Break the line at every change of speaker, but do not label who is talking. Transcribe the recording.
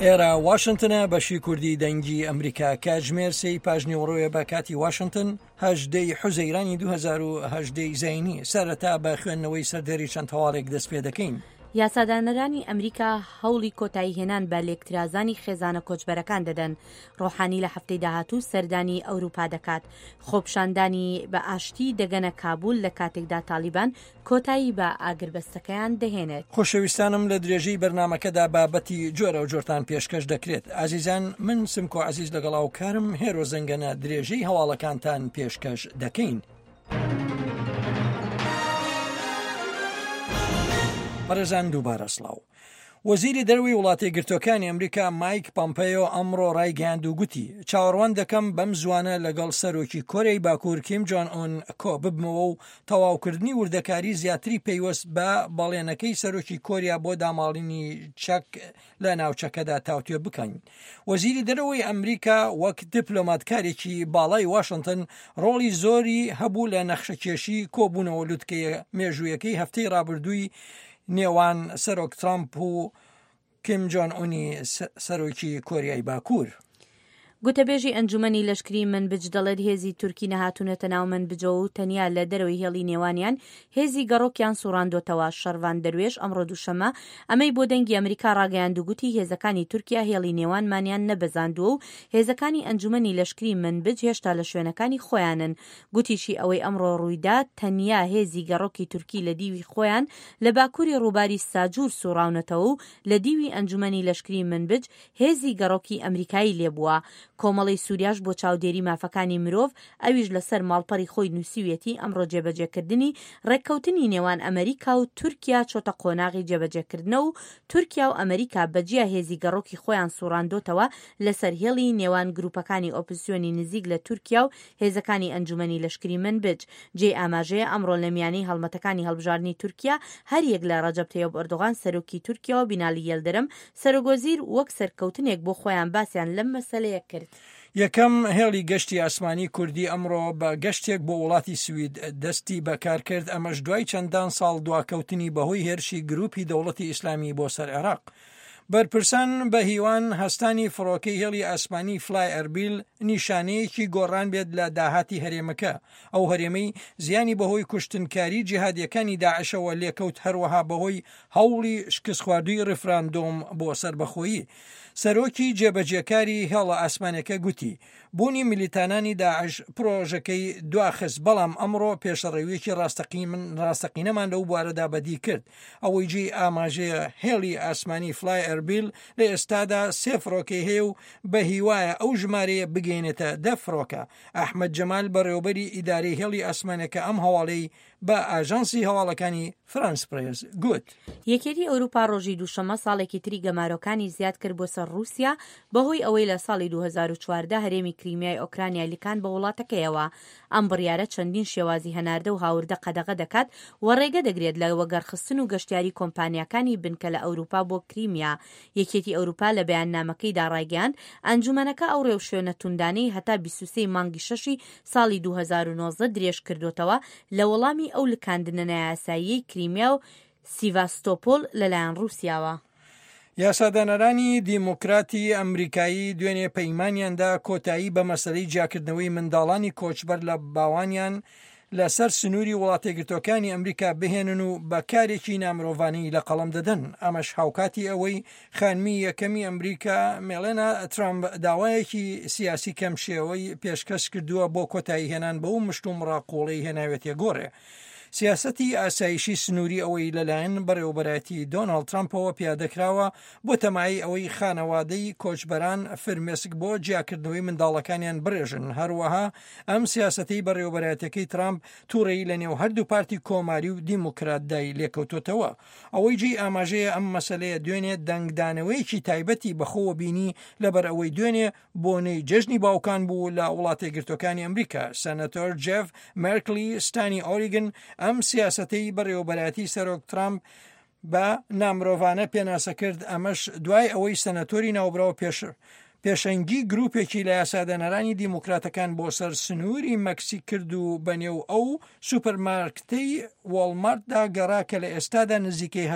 ئێرە واشنتنە بەشی کوردی دەنگی ئەمریکا کاتژمێر سێی پاژنیوەڕۆیە بە کاتی واشنتن هەژدەی حوزەیرانی 2010 زینی سەرەتا بە خوێندنەوەی سەردێری چەند هەواڵێک دەست پێ دەکەین.
یاسادانەرانی ئەمریکا هەوڵی کۆتاییهێنان بە لێکترازانی خێزانە کۆچبەرەکان دەدەن، ڕۆحانی لە هەفتەی داهاتوو سەردانی ئەوروپا دەکات، خۆپیشاندانی بە ئاشتی دەگەنە کابول لە کاتێکدا تاڵیبان کۆتایی بە ئاگربەستەکەیان دەهێنێت.
خۆشەویستانم لە درێژەی بەرنامەکەدا بابەتی جۆراوجۆرتان پێشکەش دەکرێت. ئازیزان من سمکۆ عەزیز لەگەڵ هاوکارم هێرۆ زەنگەنە درێژەی هەواڵەکانتان پێشکەش دەکەین. بەڕێزان دووبارە سڵاو. وەزیری دەرەوەی وڵاتەیەکگرتووەکانی ئەمریکا مایک پەمپەیۆ ئەمڕۆ ڕایگەیاند و گوتی چاوەڕوان دەکەم بەم زوانە لەگەڵ سەرۆکی کۆریای باکوور کیم جۆن ئۆن کۆ ببمەوە و تەواوکردنی وردەکاری زیاتری پەیوەست بە بەڵێنەکەی سەرۆکی کۆریا بۆ داماڵینی چەک لە ناوچەکەدا تاوتوێ بکەین. وەزیری دەرەوەی ئەمریکا وەک دیپلۆماتکارێکی باڵای واشنتن ڕۆڵی زۆری هەبوو لە نەخشەکێشی کۆبوونەوە لوتکەیە مێژوویەکەی هەفتەی ڕابردووی نێوان سەرۆک ترامپ و کیم جۆن ئونی سەرۆکی کۆریای باکوور.
گوتەبێژی ئەنجومەنی لەشکری منبج دەڵێت هێزی تورکی نەهاتوونەتە ناو منبجەوە و تەنیا لە دەرەوەی هێڵی نێوانیان هێزی گەڕۆکیان سوڕاندۆتەوە. شەڕڤان دەروێش ئەمڕۆ دووشەممە ئەمەی بۆ دەنگی ئەمریکا ڕاگەیاند و گوتی هێزەکانی تورکیا هێڵی نێوانمانیان نەبەزاندووە و هێزەکانی ئەنجومەنی لەشکری منبج هێشتا لە شوێنەکانی خۆیانن. گوتیشی ئەوەی ئەمڕۆ ڕوویدا تەنیا هێزی گەڕۆکی تورکی لە دیوی خۆیان لە باکوری ڕووباری ساجور سوڕاونەتەوە و لە دیوی ئەنجومەنی لەشکری منبج هێزی گەڕۆکی ئەمریکایی لێبووە. کۆمەڵەی سوریاش بۆ چاودێری مافەکانی مرۆڤ ئەویش لەسەر ماڵپەڕی خۆی نووسیویەتی ئەمڕۆ جێبەجێکردنی ڕێککەوتنی نێوان ئەمریکا و تورکیا چۆتە قۆناغی جێبەجێکردنەوە و تورکیا و ئەمریکا بەجیا هێزی گەڕۆکی خۆیان سوڕاندۆتەوە لەسەر هێڵی نێوان گروپەکانی ئۆپزسیۆنی نزیک لە تورکیا و هێزەکانی ئەنجومەنی لەشکری منبج. جێی ئاماژەیە ئەمڕۆ لە میانەی هەڵمەتەکانی هەڵبژاردنی تورکیا هەریەک لە ڕەجەب تەیۆب ئەردۆغان سەرۆکی تورکیا و بینالی یەلدرم سەرۆکوەزیر وەک سەرکەوتنێک بۆ خۆیان باسیان لەم مەسەلەیە کرد.
یەکەم هێڵی گەشتی ئاسمانی کوردی ئەمڕۆ بە گەشتێک بۆ وڵاتی سوید دەستی بە کار کرد، ئەمەش دوای چەندان ساڵ دواکەوتنی بەهۆی هێرشی گروپی دەوڵەتی ئیسلامی بۆ سەر عێراق. بەرپرسان بە هیوان هەستانی فڕۆکەی هێڵی ئاسمانی فلای ئەربیل نیشانەیەکی گۆڕان بێت لە داهاتی هەرێمەکە، ئەو هەرێمەی زیانی بەهۆی کوشتنکاری جیهادیەکانی داعشەوە لێکەوت هەروەها بەهۆی هەوڵی شکستخواردووی ڕیفراندۆم بۆ سەربەخۆیی. سەرۆکی جێبەجێکاری هێڵە ئاسمانیەکە گوتی، بوونی میلیتانانی داعش پرۆژەکەی دواخست، بەڵام ئەمڕۆ پێشەڕەویەکی ڕاستەقینەمان لەو بوارەدا بەدی کرد. ئەوەی جێی ئاماژەیە هێڵی ئاسمانی فلای ئەربیل لە ئێستادا سێ فڕۆکەی هەیە و بە هیوایە ئەو ژمارەیە بگەیەنێتە دە فڕۆکە. ئەحمەد جەمال بەڕێوەبەری ئیدارەی هێڵی ئاسمانەکە ئەم هەواڵەی بە ئاژانسی هەواڵەکانی فرانس پرێس گوت.
یەکێتی ئەوروپا ڕۆژی دووشەممە ساڵێکی تری گەمارۆکانی زیاد کرد بۆ سەر ڕووسیا بەهۆی ئەوەی لە ساڵی 2014 هەرێمی کریمیای ئۆکرانیای لکاند بە وڵاتەکەیەوە. ئەم بڕیارە چەندین شێوازی هەناردە و هاوردە قەدەغە دەکات و ڕێگە دەگرێت لە وەگەڕخستن و گەشتیاری کۆمپانیاکانی بنکە لە ئەوروپا بۆ کریمیا. یەکێتی ئەوروپا لە بەیاننامەکەیدا ڕایگەیاند، ئەنجومەنەکە ئەو ڕێوشوێنە توندانەی هەتا 23 ی مانگی شەشی ساڵی 2019 درێژکردۆتەوە لە وەڵامی ئەو لکاندنە نایاساییەی کریمیا و سیڤاستۆپۆل لەلایەن ڕووسیاوە.
یاسادانەرانی دیموکراتی ئەمریکایی دوێنێ پەیمانیاندا کۆتایی بە مەسەلەی جیاکردنەوەی منداڵانی کۆچبەر لە باوانیان لەسەر سنووری وڵاتەیەکگرتووەکانی ئەمریکا بهێنن و بە کارێکی نامرۆڤانەی لە قەڵەم دەدەن ئەمەش هاوکاتی ئەوەی خانمی یەکەمی ئەمریکا مێڵێنا ترامپ داوایەکی سیاسی کەم شێوەی پێشکەش کردووە بۆ کۆتایی هێنان بەو مشتومڕە قوڵەی هێناوێتە گۆڕێ. سیاسەتی ئاسایشی سنووری ئەوەی لەلایەن بەڕێوەبەرایەتی دۆناڵد ترامپەوە پیادەکراوە بۆ تەمای ئەوەی خانەوادەی کۆچبەران فرمێسک بۆ جیاکردنەوەی منداڵەکانیان بڕێژن هەروەها ئەم سیاسەتەی بەڕێوەبەرایەتەکەی ترامپ توڕەیی لە نێو هەردوو پارتی کۆماری و دیموکراتدای لێکەوتۆتەوە. ئەوەی جێی ئاماژەیە ئەم مەسەلەیە دوێنێ دەنگدانەوەیەکی تایبەتی بەخۆوە بینی لەبەر ئەوەی دوێنێ بۆنەی جەژنی باوکان بوو لە وڵاتەیەکگرتووەکانی ئەمریکا سەنەتۆر جێف مێرکلی ستانی ئۆریگن ئەم سیاسەتەی بەڕێوەبەرایەتی سەرۆک ترامپ بە نامرۆڤانە پێناسە کرد، ئەمەش دوای ئەوەی سەنەتۆری ناوبراو پێش پێشەنگی گروپێکی لە یاسادانەرانی دیموکراتەکان بۆ سەر سنووری مەکسیک کرد و بەنێو ئەو سوپەرمارکتەی وۆڵمارتدا گەڕا کە لە ئێستادا نزیکەی.